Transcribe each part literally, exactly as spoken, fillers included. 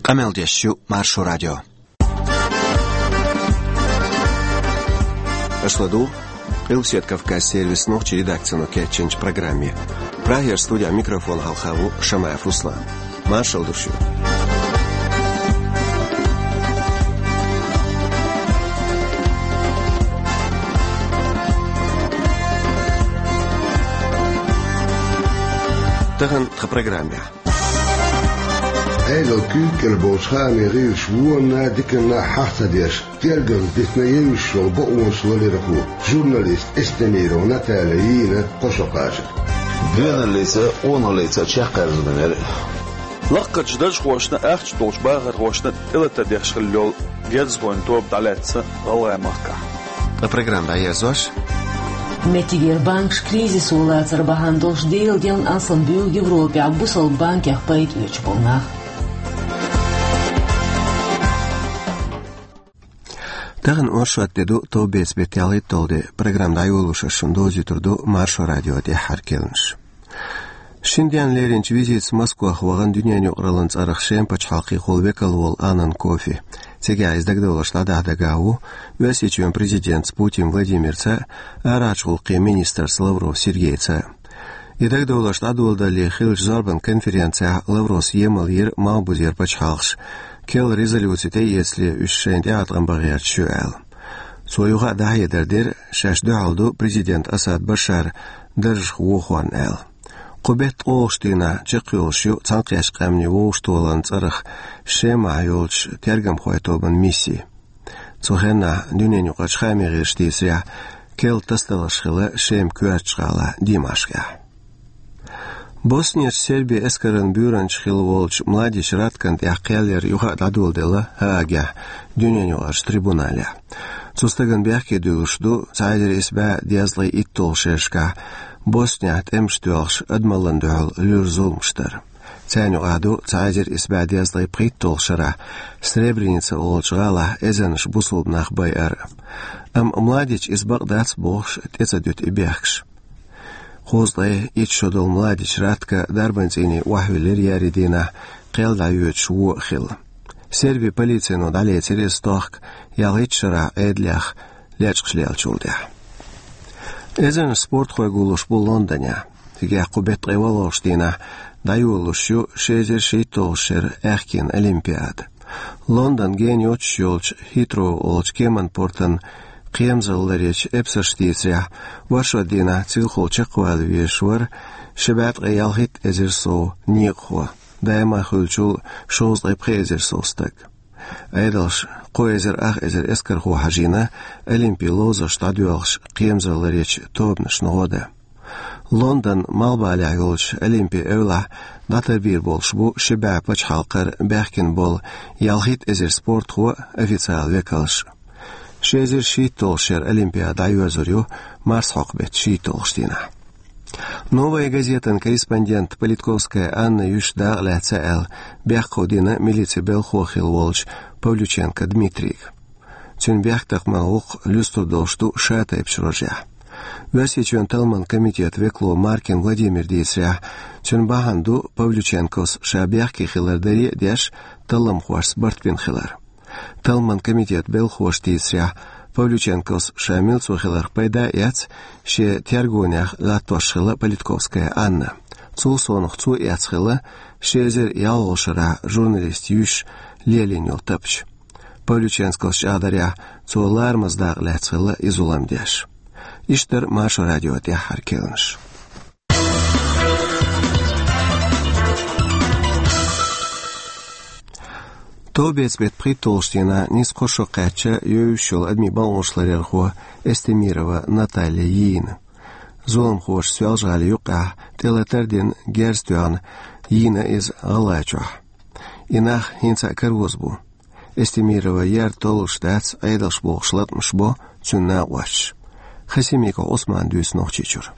Къамел деш ю Маршо радио. Аша ладугӀу Къилбаседа Кавказан сервисан нохчийн редакцино кечйинчу программе. Прагера студехь микрофон хьалха ву Шамаев Руслан. Маршалла ду шуьга. Тахана тхан программехь. Ӏедалан куьйга кӀела болчу хаамийн гӀирсаша вонна а, диканна а хьаха ца деш, тергамна дитина евзаш йолу бакъонаш ларъярхо, журналист Эстемирова Наталья йийна кхо шо кхачар. Доьналлица а, къоналлица а чекхъерзо динера. Лакхарчу даржхошна а, ахча долчу бахархошна а тӀелатар деш хилла йолу герзахойн тоба дӀалаьцна ГӀалгӀай-махкахь. Ткъа программа дӀаерзош: меттигера банкаш кризисо лацар бахьана долуш Делан денна алсам буьйлу Европехь бусалба банкех пайда оьцуш болу нах. Тахана оршот де ду, товбеца беттан ялхитталгӀа де. Программа дӀайолош ас шуна довзуьйтур ду Маршо радион тӀаьххьара керланаш. Шина денна леринчу визитаца Москвахь вахана дуьненан юкъараллин цӀарах Шеман пачхьалкхехула векал волу Аннан Кофи. Цигахь иза дагадовларш дӀадахьа дагахь ву Оьрсийчоьнан президентаца Путин Владимирца а, арахьарчу гӀуллакхийн министрца Лавров Сергейца а. И дагадовларш дӀадоладалале хиллачу зорбан конференцехь Лавровс емал йира малхбузера пачхьалкхаш, керла резолюци тӀеэцале уьш шайна тӀеӀаткъам бан гӀерташ ю аьлла. Цо юха а дӀахьедар дира, шаьш дуьхьал ду президент Асад Башар даржах вохорна аьлла. Кху беттан ткъолгӀачу дийнахь чекхйолуш ю Цхьаьнакхеттачу Къаьмнийн вовшахтохаран цӀарах Шемахь йолчу тергамхойн тобан мисси. Цу хеннахь дуьненан юкъарчу хаамийн гӀирсаша дийцарехь, керла тасадаларш хилла Шеман коьртачу гӀалахь Димашкъехь. Боснерчу Сербин эскаран буьйранча хилла волчу Младич Раткана тӀехь кхел яр юха а дӀадоладелла Гаагехь, дуьненан юкъарчу трибуналехь. Цу стагана бехке дуьллуш ду цхьа эзар исс бӀе дезткъе итталгӀачу шерашкахь Боснехь тӀемаш тоьлхуш адамаллина дуьхьал луьра зуламаш дар. Царна юкъахь ду цхьа эзар исс бӀе дезткъе пхийтталгӀачу шарахь Сребреница олучу гӀалахь эзарнаш бусалба нах байар а. Амма Младича иза бакъ дац бохуш, тӀе ца дуьту и бехкаш. Кхузткъе итт шо долу Младич Ратка дарбан цӀийне охьавиллира еарин дийнахь, кхел дӀайоьдуш вон а хилла. Сербин полицино дӀалецира иза тохка, ялхитталгӀачу шарахь Ӏедалех лечкъаш леллачул тӀаьхьа. Эзарнаш спортхой гуллуш бу Лондонехь. Цигахь кху беттан ткъе валлалгӀачу дийнахь дӀайолалуш ю ши эзар шийтталгӀачу шеран аьхкенан Олимпиада. Лондон гена йоццуш йолчу Хитроу олучу кеманан портан кхерамзалла ларъечу эпсарша дийцарехь, оршот дийнахь цуьнан хьокъехула чекхвала везаш вара ши бӀе ткъе ялхитта эзар сов некъахо, даима хуьлучул шовзткъе пхи эзар сов стаг. Ӏедалша кхо эзар ах эзар эскархо хьажийна Олимпин ловзарш дӀадоьлхуш кхерамзалла ларъечу тобанашна гӀо дан. Лондонан малхбалехь йолчу Олимпин эвлахь дӀатарбийр болуш бу ши бӀе пачхьалкхера баьхкина болу ялхитта эзар спортхо а, официалан векалш а. Ши эзар шийтталгӀачу шеран Олимпиада дӀайоьрзур ю марсхьокху беттан шийтталгӀачу дийнахь. «Новая газетан» корреспондент Политковская Анна юьйш дакъа лаьцна аьлла, бехк хьулдина милицин белхахо хилла волчу Павлюченко Дмитрийга. Цуьнан бехктакхаман гӀуллакх луьстур долуш ду шатайпачу рожехь. Оьрсийчоьнан талламан комитетан векало Маркин Владимира дийцарехь, цуьнан бахьана ду Павлюченкос ша бехке хилар даре а деш, талламхошца барт бина хилар. Талламан комитетан белхахоша дийцарехь, Павлюченкос ша милцо хиларх пайда а эцна, шен тергонех латтош хилла Политковская Анна. Цул совнаха цо эцна хилла ши эзар ялхолгӀачу шарахь журналистан юьйш лелийна йолу тапча. Павлюченкос чӀагӀдарехь, цо ларамаза дакъа лаьцна хилла и зулам деш. Иштта дара Маршо радион тӀаьххьара керланаш. Товбеца беттан пхийтталгӀачу дийнахь нийсса кхо шо кхаьчна евзаш йолу адамийн бакъонаш ларъярхо Эстемирова Наталья йийна. Зуламхоша Соьлжа-ГӀалин юккъехь тӀелатар а дина, герз а тоьхна, йийна иза ГӀалгӀайчохь. И нах хӀинца а кароз бу. Эстемирова яр толлуш дац, Ӏедалша бохуш латамаш бо цуьнан накъосташа. Хасимиков Ӏусмана дуьйцу Нохчийчуьра.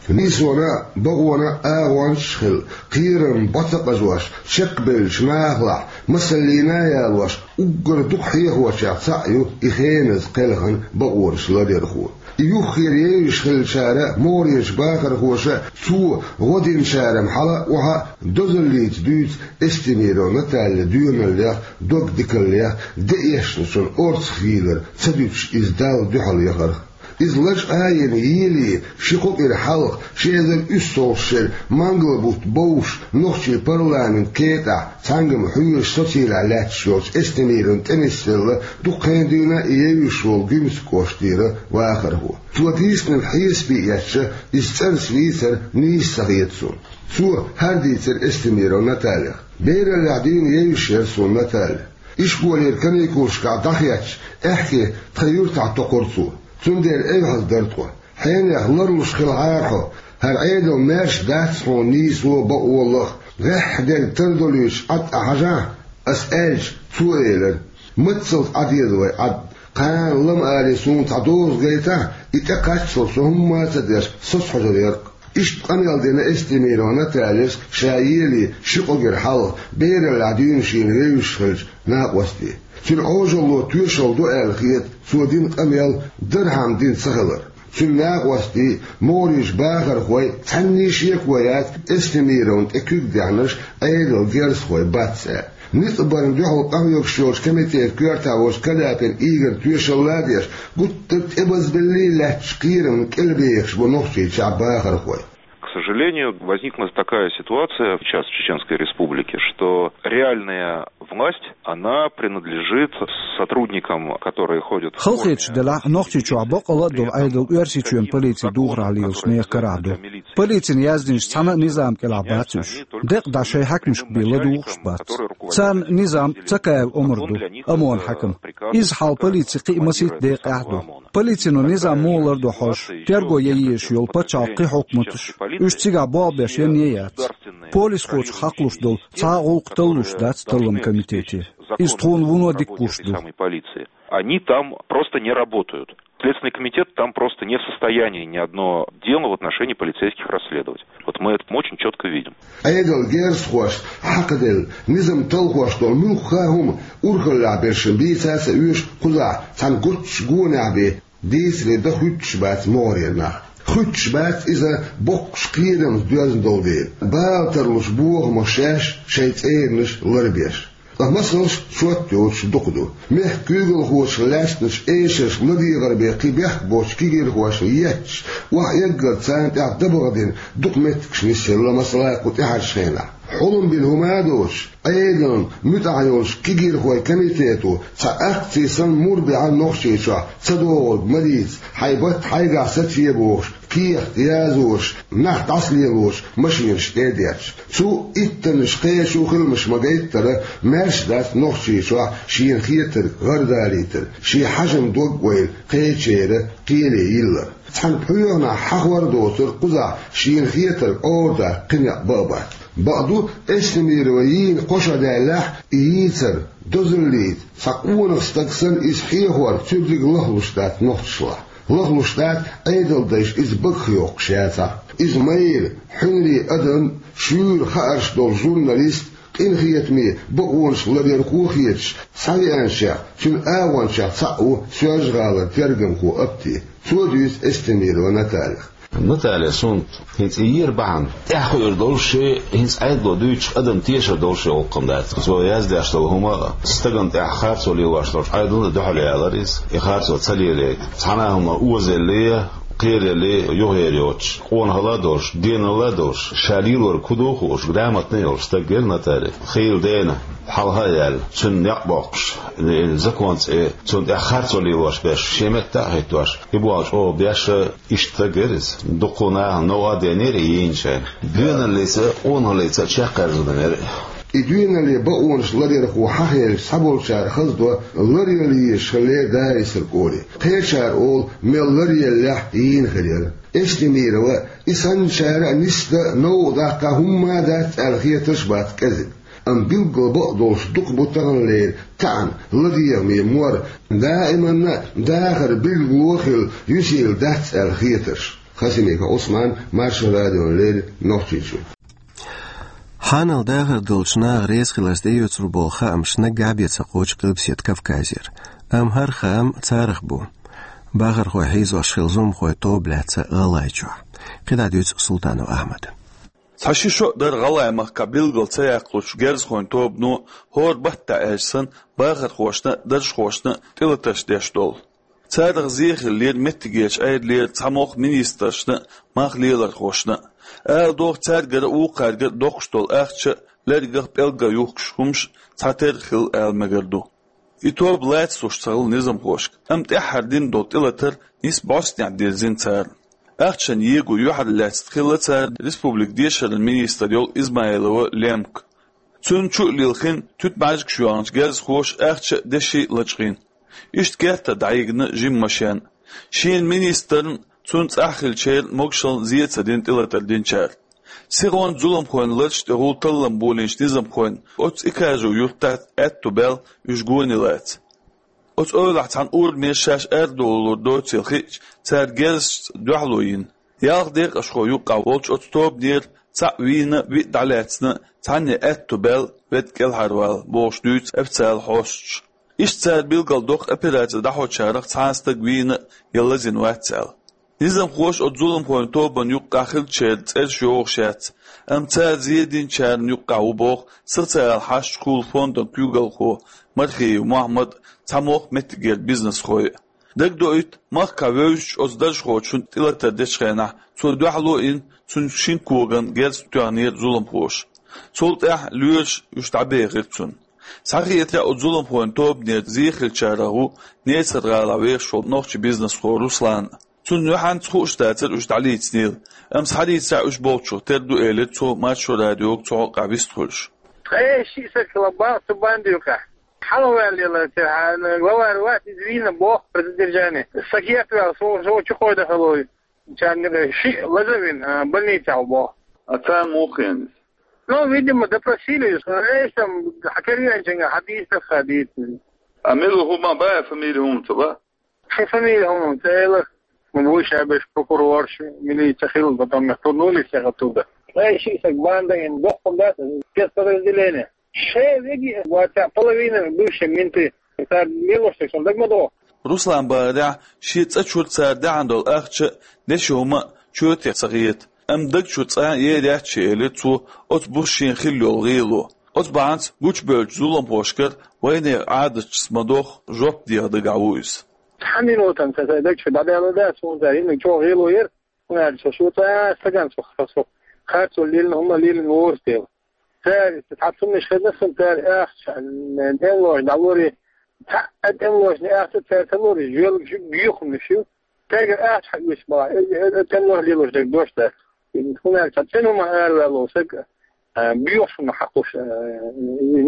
Нийсонан а, бакъонан а агӀончаш а хилла, кхерам бӀо ца къажош, чекхбевллачу нахалахь масаллина а ялош, уггар дукха хьехочех цхьаъ ю и хеназа кхелхина бакъонаш ларъярхо. И юххера евзаш хиллачара, могӀарерча бахархоша, цо гӀо динчара хьала а, охьа а дозаллица дуьйцу Эстемирова Наталья доьналлех, догдикаллех, деэшначун орцах йийлар ца дуьтуш иза Далла дуьхьал яхарх. Иза лачкъа а йина, елий, ши-кхо кӀира хьалха, ши эзар уьссалгӀачу шеран мангал-бутт бовш, нохчийн парламентан кетӀахь цхьаьнгга хьоьжуш социлахь лаьтташ йолчу Эстемировна тӀе нисделла, дукха хенахь дуьйна а евзаш волу Гуьмсан кӀоштара вахархо. Цо дийцинарг хьесапе эцча, иза цӀарца вийцар нийса ца хета суна. Цо хӀара дийцира Эстемирова Натальях: «Бераллехь дуьйна евзаш яра суна Наталья. Ишколера каникулашкахь дӀахецча, аьхке тхан юьртахь токхура цо. Цундела эвхьаза дара тхо. Хьенех ларлуш хилахьара хьо, хӀара Ӏедал маьрша дац хьуна нийсо а, бакъо а лаха. ГӀеххьа дерг тардолуьйтуш Ӏад Ӏа хьажахьа», ас аьлча, цо элира: «Маццалц Ӏадеза вай Ӏад. Кхана лама алий суна цхьа доза гайтахь, и тӀекхаччалц со хӀумма а ца деш, соцахьожур яра-кх». Иштта къамел дина Эстемирова Натальяс ша елий ши-кхо кӀира хьалха, бераллехь дуьйна шена вевзаш хиллачу накъостий. Цуьнан Ӏожалло тоьшалла ду аьлла хета цо дина къамел дархьама дина ца хилар. Цуьнан накъостий, могӀарерчу бахархой, цхьанний шеко яц Эстемировна тӀе куьг даьхнарш Ӏедалан герзахой бац аьлла. Ницкъ барна дуьхьал къахьоьгуш йолчу комитетан коьрта волчу Каляпин Игоран тоьшалла а деш, гуттар а тӀебазбеллий лаьттачу кхерамна кӀелбехаш бу Нохчийчохь бахархой. К сожалению, возникла такая ситуация сейчас в Чеченской Республике, что реальная власть, она принадлежит сотрудникам, которые ходят в форме. Халахеташ делахь, Нохчийчохь баккъалла а долу Ӏедал Оьрсийчоьнан полицин духарехь лелачу нехан карахь ду. Полицина яздинарш цхьана а низам кӀелахь бац уьш. Декъа дӀа шайн хьаькамашка бен ладугӀуш бац. Царна низам Цакаев Омар ду, ОМОНан хьаькам. Иза хьалха полицин кхин а масийтта декъехь а ду. Полицино низам муха лардо хьожуш, терго ян езаш йолу пачхьалкхан кхин хьукматаш, уьш цигахь болх беш янне а яц. Полисхочух хьакхалуш долу цхьа а гӀуллакх таллалуш дац талламан комитете. Иза тхуна вуно дика гуш ду. Они там просто не работают. Следственный комитет там просто не в состоянии ни одно дело в отношении полицейских расследовать. Вот мы это очень четко видим. Ӏедалан герзахошна хьакхаделла, низам талхош долу муьлхха а хӀума урхаллехь берш бийца а ца оьшу, кхузахь цхьана гуччу гонехь бен дийцаре дан хуьттуш бац могӀарера нах. Хуьттуш бац иза боккхачу кхерамца доьзна долу дела, бала тарлуш бохамаш шаьш, шайн цӀеранаш ларбеш. Ткъа масалш шот йоцуш дукха ду. Мехкан куьйгалхочух лаьцначу эшаршка ладегӀар бен кхин бехк боцчу кегийрхошна етташ, охьаэггар царна тӀехь дабагӀа дина дукха меттигаш нисъелла, масала, кху тӀаьхьарчу хенахь. Хьулам бина хӀума а доцуш, Ӏедална муьтӀахь йолчу кегийрхойн комитето цхьа акци санна мур бехьа Нохчийчохь ца догӀург ма дийца, хьайн батт хьайгахь сацае бохуш, кехат язош, нах дӀасалелош машинаш тӀе а детташ. Цу иттаннаш кхечу хиламаш ма-гайттара, маьрша дац Нохчийчохь шена хетарг гӀардалийтар, шен хьажам дог а ойла кхечеран кхеле йиллар. Цхьана пхьоьханахь хьахор а доцура кхузахь шена хетарг Ӏорадаккха кхин некъ бан а бац. Бакъду, Эстемирова йийна кхо шо даьллехь, и йийцар дозаллица, цхьа къонах стаг санна иза хьехор цуьрриг лахлуш дац нохчашлахь. Лахлуш дац Ӏедалдайша иза багах йоккхуш яцахь. Иза майра, хьуьнарий адам, шуьйра хаарш долу журналист, къинхетаме бакъонаш ларъярхо а хеташ, схьавеанчех, цуьнан агӀончех цхьаъ ву Соьлжа-ГӀалара тергамхо Апти. Цо дуьйцу Эстемирова Натальях. Наталья, суна хӀинца и йийр бахьана, тӀаьхьа хуур долуш, шен хӀинца Ӏедало дуьйцуш адам тешар долуш йолу гӀуллакх дац. Цо яздеш долу хӀума а, стагана тӀехь харцо лелош долчу Ӏедална а дуьхьал ялар иза, и харцо ца лелайта. Цхьана а хӀума озаеллий, кхераллий юхаер йоцуш, къонахалла а долуш, деналла а долуш, ша лелорг хӀун ду хууш, грамотный а йолуш стаг яра Наталья. Хийла дена, хьалха а яьлла, цуьнан некъ боккхуш, закон цӀе, цунна тӀехь харцо лелош берш, шен метта а хӀиттош, и болх чӀогӀа беш, иштта стаг яра иза. Дуккха нахана новкъа а денийра и йийна шайна. Доьналлица а, къонахаллица а чекхъяьржина яра. И доьналле бакъонаш ларъярхо хьахаелча, цхьаболчара хаза до ларъяла езаш хиллера Дарисерчу кӀоре. Кхечара олу, мел ларъеллехь йийна хир яра. Эстемирова, и санначара а нисдан а, новкъа даккха хӀумма а дац аьлла хетарш а бац кӀезиг. Амма билггал бакъдолуш дукха бу таханлера таьӀна, ладегӀаме мор, даиманна а дахар билгало а хилла, юьсийла дац аьлла хетарш. Хасимиков Ӏусман, Маршо радиона леррина, Нохчийчуьра. Хьанал дахар долчу наха реза хиларца тӀеоьцур болу хаамаш наггахь бен ца кхочу Къилбаседа Кавказера. Амма хӀара хаам царах бу. Бахархой хьийзош хилла зуламхойн тоба лаьцна ГӀалгӀайчохь. КхидӀа дуьйцу Султанов Ахьмада. Цхьа ши шо а дара ГӀалгӀай махкахь билггал ца яккхалучу герзахойн тобано хӀора баттахь аьлча санна бахархошна а, даржхошна а тӀелатарш деш долу. Царах зен хиллера меттигерчу Ӏедалера цхьамогӀа министрашна а, мах лелорхошна а. Ала догӀу, цаьргара а, вукхаьргара а доккхуш долу ахча а, лергах, пӀелгах юхкуш хӀумнаш цхьатерра хилла ала мегар ду. И тоба лацалуш ца хилла низамхошка, амма тӀаьххьара дина долу тӀелатар нийсса бӀостанехь дирзина царна. Ахчанан его юьхьарлаьцна хилла цара республикан дешаран министр йолу Измайлова Лемка. Цунна чу а лилхина, туьтмӀаьжгаш йоьхначу герзахоша ахча а, деши а лачкъийна. Иштта кертара дӀахьийгина жима машен а. Шена министрна, цунна цӀахь хиллачеран могушаллина зен ца дина тӀелатар динчара. Сихонца зуламхойн лараш тӀе гӀур таллам болийначу низамхойн оцу Икажу юьртахь аьтту баьлла уьш гони лаца. Оцу эвлахь цхьана урамера шаьш арадовлалур доцийла хиъча, цара герзашца дуьхьало йина. Ялх декъашхо юккъехь волчу оцу тобанера цхьаъ вийна, виъ дӀалаьцна, цхьанне аьтту баьлла, ведда кӀелхьарвала, бохуш дуьйцу официалан хьосташа. Иштта цара билгалдоккху, операци дӀахьочарах цхьа а стаг вийна я лазийна вац аьлла. Низамхоша оцу зуламхойн тобанна юккъехь хиллачеран цӀераш йогӀуш яц, амма цара зен динчарна юккъехь ву боху социалан хьашташкахула фондан куьйгалхо Мархиев Мохьмад а, цхьамогӀа меттигера бизнесхой а. Дагадоуьйту, махкахь вевзачу оцу даржхочунна тӀелатар дечу хенахь цо дуьхьало а йина, цуьнан шина коган герз тоьхнера зуламхоша. Цул тӀаьхьа лоьраша уьш дӀабехира цунна. Схьахетарехь, оцу зуламхойн тобанера зен хиллачарах ву Несар-гӀалахь вехаш волу нохчийн бизнесхо Руслан а. Цунна юьхьанца хууш дацара уьш дӀалецнийла, амма схьалецарехь уьш болчух тера ду, элира цо Маршо радиога цу хьокъехь вистхуьлуш. Ткъе шиъ стаг хилла боху цу бандин юкъахь. Хьалаваьлла, главарь вац, иза вийна боху при задержании. Са кертаваьлла, со, со чу кхойдан хилла ву. Царна шиъ лаза а вина, а, больницехь ву боху. А царна муха хиъна иза? Ну, видимо, допросили, э, там, хьан карьерчуьнга хьан дийца, хьан дийца. А мила хӀума бан, фамилия хӀума ца бан? Шун фамилия хӀума ца элира. Ну, вуй шабеш прокурорш, милиция хилла, потом их турнули всех оттуда. Ткъе шиъ стаг банда, ин доккха дац, спецподразделение. Шайн веги вац, половина бывшие менты. Цара лелош дерг шуна дага ма догӀу. Руслан бахарехь, шен цӀа чуьра цара даьхьна долу ахча а, деши хӀума а чоьте ца хета. Амма даг чуьра цкъа а ер яц шен, элира цо, оцу буса шена хилла йолу гӀело. Оцу бахьанца гучубевллачу зуламхошкара вайнехан Ӏадаташца ма-дохху жоп деха дагахь ву иза. Цхьана минутана сан даг чуьра дӀадаьлла дац, хӀунда аьлча хӀинца чӀогӀа гӀело яра. ХӀунда аьлча со цкъа а стагана со, со, со харцо лелийна, хӀума лелийна воцу дела. Цара, цхьа цуннаш хезна сан, цара ахча, тӀемалошна дӀалур, цхьа а тӀемалошна ахча цара ца лур, жоьлга жуьг гӀеххьумнаш ю. Цаьргара ахча хьаоьцуш бахьа, э, э, э, тӀемалоша лелош дерг дош дац. ХӀунда аьлча цхьа цӀена хӀума араваьлло саг, э, боьхачунна хьакхуш, э,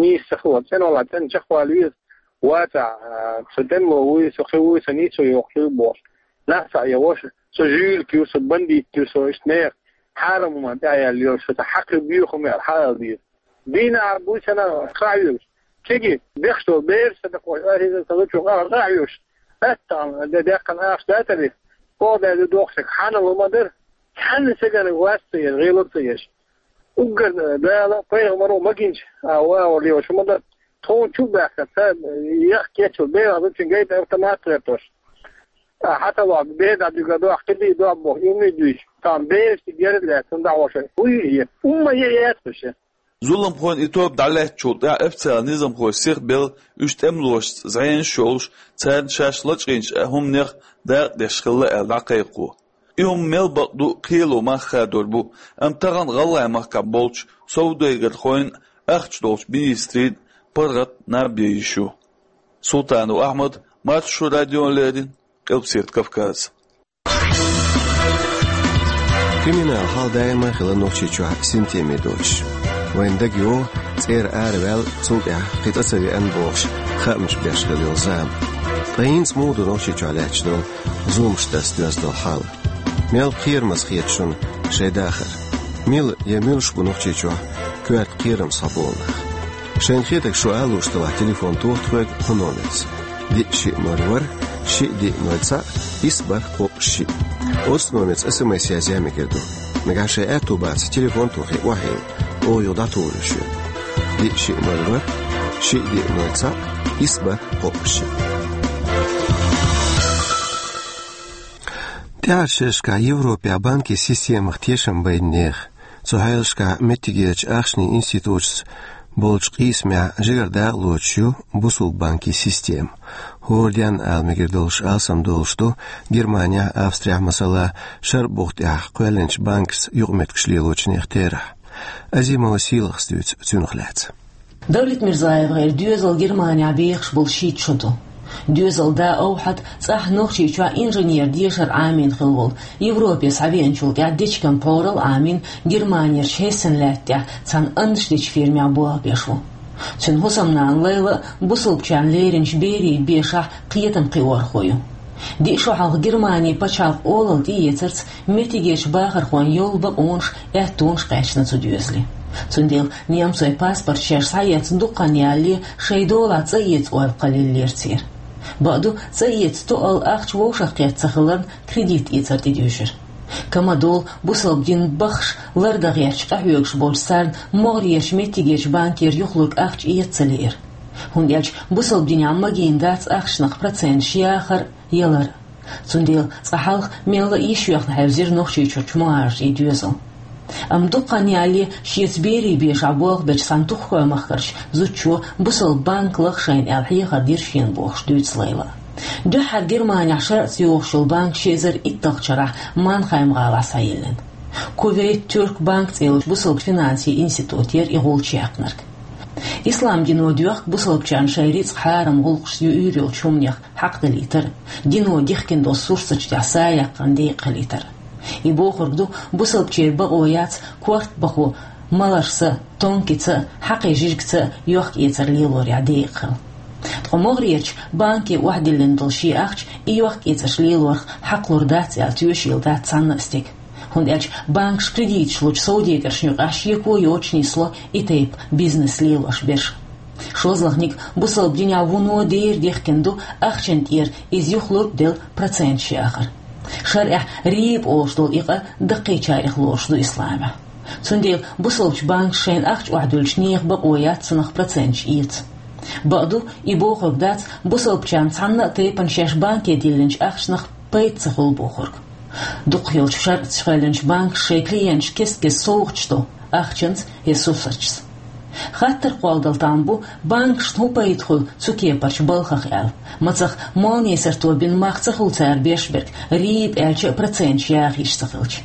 нийса ца хилла, цӀена валахь цӀена чекхвала веза, вацахь, э, со тӀемало вуй, со кхин вуй, со нийсо йоккхуш ю бохуш. Нах цхьаъ я ваша, со жуьлик ю, со бандит ю, со иштта нехан хьарам хӀуманна тӀаьхьаяьлла йолуш, со цхьа хьакхи боьха хӀума яра хьаала деза. Дийнахь а буй санна, къахьоьгуш. Кеги, бехаш долу бераш сан дакъош, архӀиза сан лучу къахьоьгуш. Аттан де деккхана ахча датари, кхо даьлла дохуш, хьанал хӀума дара, цхьанна сагана вац ца еш, гӀело ца еш. Уггар Дала, пайхамаро магинча, а, ва, ва, лева, шу ма дара. Тхуна чу баьхка, ца, яхка кечал, бегӀа зучин гайта автомат лертош. А, хьаталахь, беда дуьга дохь, кхидий дохь боху, имни дуьйш. Там беста герд лаьцна дагӀоша. Уй, е, умма е яц уьш. Зуламхойн и тоба дӀалаьцначул тӀаьхьа официалан низамхой сихбелла, уьш тӀемалошца зӀенаш йолуш, царна шаьш лачкъийначу хӀуманех дакъа деш хилла аьлла дӀакхайкхо. И хӀума мел бакъ ду, кхело мах хадор бу, амма тахана ГӀалгӀай махкахь болчу совдегархойн а, ахча долчу министрийн а паргӀат наб ян йиш ю. Султанов Ахьмад, Маршо радиона леррина, Къилбаседа Кавказ. Криминал хьал даима хила Нохчийчохь синтеме доцуш. Вайн дагайогӀу цӀера араваьлла, цул тӀаьхьа кхин цӀа ца веана бохуш, хаамаш беш хила йолу зама. Ткъа хӀинца муха ду Нохчийчохь лаьтташ долу зуламаш тӀе доьзна долу хьал? Мел кхерамаза хета шуна шайн дахар? Мила я муьлш бу Нохчийчохь коьрта кхерам схьаболу нах? Шайна хетарг шу ала лууш делахь, телефон тоха тхоьга кху номерца: диъ шиъ ноль ворхӀ, шиъ диъ ноль цхьаъ, исс бархӀ кхоъ шиъ. Оцу номерца СМС язъян мегар ду. Нагахь шайн аьтту бацахь, телефон тохий, охьайилла, оха юха дӀатухур ю шуна. Диъ шиъ ноль ворхӀ, шиъ диъ ноль цхьаъ, исс бархӀ кхоъ шиъ. ТӀаьхьарчу шерашкахь Европехь банкийн системах тешам байинех, цу хьелашкахь меттигерчу ахчанийн институташца болчу къийсамехь жигара дакъалоцуш ю бусалба банкийн система. ХӀора денна ала мегар долуш алсам долуш ду Германехь, Австрехь, масала, Шарбух тӀехь кхоьллинчу банкашца юкъаметтигаш лелочунех терахь. Азимова Сийлахьас дуьйцу цунах лаьцна. Давлет Мирзаевгара доьзал Германехь бехаш болу шийтта шо ду. Доьзал да Овхьад цӀахь Нохчийчохь инженер дешар Ӏамийна хилла волу, Европе схьавеанчул тӀаьхьа дечиган пхьорал Ӏамийна, Германерчу Хессен лаьтта тӀехь цхьана аннаш дечу фирмехь болх беш ву. Цуьнан хӀусамнана Лайла а бусалбачарна леринчу берийн бешахь кхетам кхиорхо ю. Диъ шо хьалха Германин пачхьалкх олалла тӀеэцарца меттигерчу бахархойн йолу бакъонаш, аьттонаш кхаьчна цу доьзале. Цундела немцойн паспорт шаьш схьаэцна дукха хан ялале, шайн долахь цӀа эца ойла кхоллаеллера церан. Бакъду, цӀа эца тоъал ахча вовшах кхетта ца хиларна, кредит эцар тӀедуьйжира. Ка ма долу, бусалба дин баххаш лардан гӀерташ къахьоьгуш болчу царна могӀарерчу меттигерчу банкера юхалург ахча эца ца лиира. ХӀунда аьлча бусалба динехь магийна дац ахчанах проценташ яхар а, ялар а. Цундела цкъа хьалха мелла а йиш йоьхна хьаьвзира Нохчийчуьрчу мухӀажарийн доьзал. Амма дукха хан ялале шеца берийн бешахь болх бечу цхьана туххой махкарчу зудчо бусалба банк лаха шайна аьлла хьехар дира шена бохуш дуьйцу Лайла. Дуьххьара Германехь шарӀаца йогӀуш йолу банк ши эзар итталгӀачу шарахь Манхайм-гӀалахь схьайиллина. Кувейт Тюрк банк цӀе йолчу бусалба финансийн институтера и гӀулч яьккхинарг. Ислам дино доьхку бусалбачарна шайн рицкъ, хьарам гӀуллакхашца юьйр йолчу хӀуманех хьакхадалийтар, дино дихкина долу сурсаташ тӀехь сагӀа яккхарна декъахилийтар. И бохург ду, бусалбачеран бакъо яц корта бахо, маларшца, тонкица, хьакхин жижигца йохк-эцар лелорехь декъахила. Ткъа могӀарерчу банке охьадиллина долу шен ахча и йохк-эцарш лелорах хьакхалур дац аьлла тоьшийла дац цхьанна а стеган. ХӀунда аьлча банкаш кредиташ лучу совдегаршна юкъахь шеко йоцуш нисло и тайпа бизнес лелош берш. ШозлагӀниг, бусалба динехь вуно дера дихкина ду ахчана тӀера иза юхалург а делла проценташ яхар. ШарӀехь риба олуш долу и къа даккхийчарех лоруш ду исламехь. Цундела бусалбачу банкаша шайна ахча охьадуьллучу нехан бакъо яц цунах проценташ эца. Бакъду, и бохург дац бусалбачарна цхьанна а тайпана шаьш банке диллинчу ахчанах пайда ца хуьлу бохург. Дукхахйолчу шарӀаца кхоьллинчу банкаша шайн клиенташна кест-кеста совгӀаташ до, ахчанца я сурсаташца. Хаттар кхолладала там бу, банкашна хӀун пайда хуьлу цу кепарчу балхах аьлла. Мацах, молнисарто бина мах ца хуьлу цара беш берг, риба аьлча а, проценташ яха йиш ца хилча.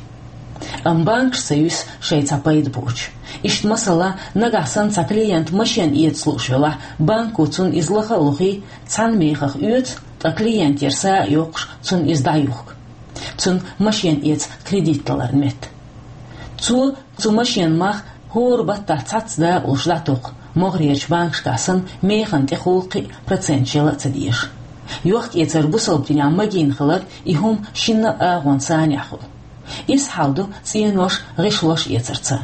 Амма банкаш ца юьсу шайн цхьа пайда боцуш. Иштта, масала, нагахь санна цхьа клиент машен эца лууш велахь, банко цунна иза лаха а лохий, цхьана мехах оьцу, ткъа клиентера са а йоккхуш, цунна иза дӀаюхку. Цунна машен эца кредит даларна метта. Цо цу машенан мах хӀора баттахь цхьацца дакъалуш дӀатокху, могӀарерчу банкашкахь санна механа тӀехула кхин а проценташ яла а ца дезаш. Йохк-эцар бусалба динехь магийна хилар и хӀума шинна а агӀонан санехь хуьлу. Иза хьал ду цӀенош, гӀишлош эцарца.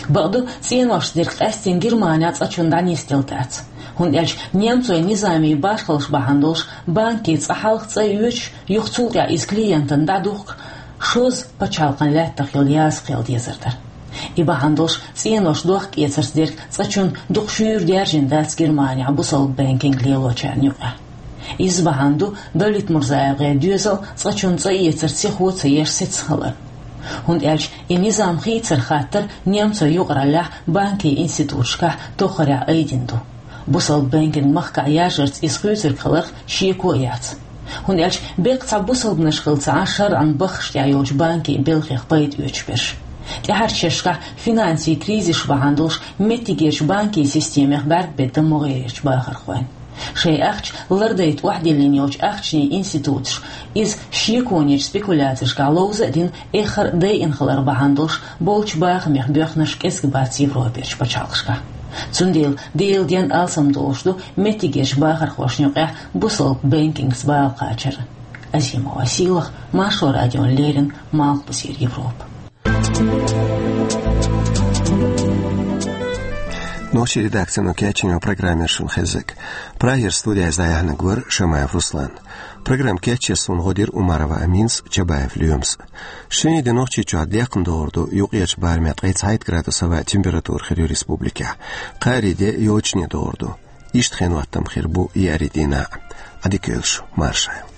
Бакъду, цӀеношца дерг къаьстина Германехь цкъачунна дӀанисделла дац. ХӀунда аьлча немцойн низамийн башхаллаш бахьана долуш, банке цкъа хьалха цӀа оьцуш, юха цул тӀаьхьа иза клиентана дӀадухку, шозза пачхьалкхан лаьттах йолу яза кхел дезар дара. И бахьана долуш цӀенош, дохк-эцарца дерг цкъачунна дукха шуьйра даьржина дац Германехь бусалба бэнкинг лелочарна юкъахь. Иза бахьана ду Давлет Мурзаевгара доьзал цкъачунна цӀа эцар сихо ца еш сецна хилар. ХӀунда аьлча и низам хийцар хаттар немцойн юкъараллехь банкийн институташкахь тоххарехь айдина ду. Бусалба бэнкинг махкахь яржарца иза хуьйцург хиларх шеко а яц. ХӀунда аьлча беккъа цхьа бусалбанаш хилла ца Ӏаш, шарӀан баххаш тӀехь йолчу банкийн белхех пайда оьцуш берш. ТӀаьхьарчу шерашкахь финансийн кризис бахьана долуш меттигерчу банкийн системех бӀаьрг бедда могӀарерчу бахархойн. Шайн ахча лардайта охьадиллина йолчу ахчанийн институташа иза шеконечу спекуляцешкахь ловза а дина, эххар а дайина хилар бахьана долуш болчу бахамех боьхнарш кӀезиг бац Европерчу пачхьалкхашкахь. Цундела Делан денна алсам долуш ду меттигерчу бахархошна юкъахь бусалба бэнкингца бала кхачар. Азимова Сийлахь, Маршо радиона леррина, Малхбузера Европа. Нохчийн редакцино кечйина программа яра шуна хезнарг. Прагера студиехь иза дӀаяьхьнарг вара Шамаев Руслан. Программа кечъеш суна гӀо дира Умарова Аминас, Чабаев Лоьмас. Шинарин де Нохчийчохь декхна догӀур ду, юккъерчу барамехь ткъе цхьайтта градус хӀаваъ, температура хир ю республикехь. Кхаарин де йочане догӀур ду. Иштта хенан хӀоттам хир бу еарин дийнахь а. Ӏадика йойла шу, марша Ӏойла.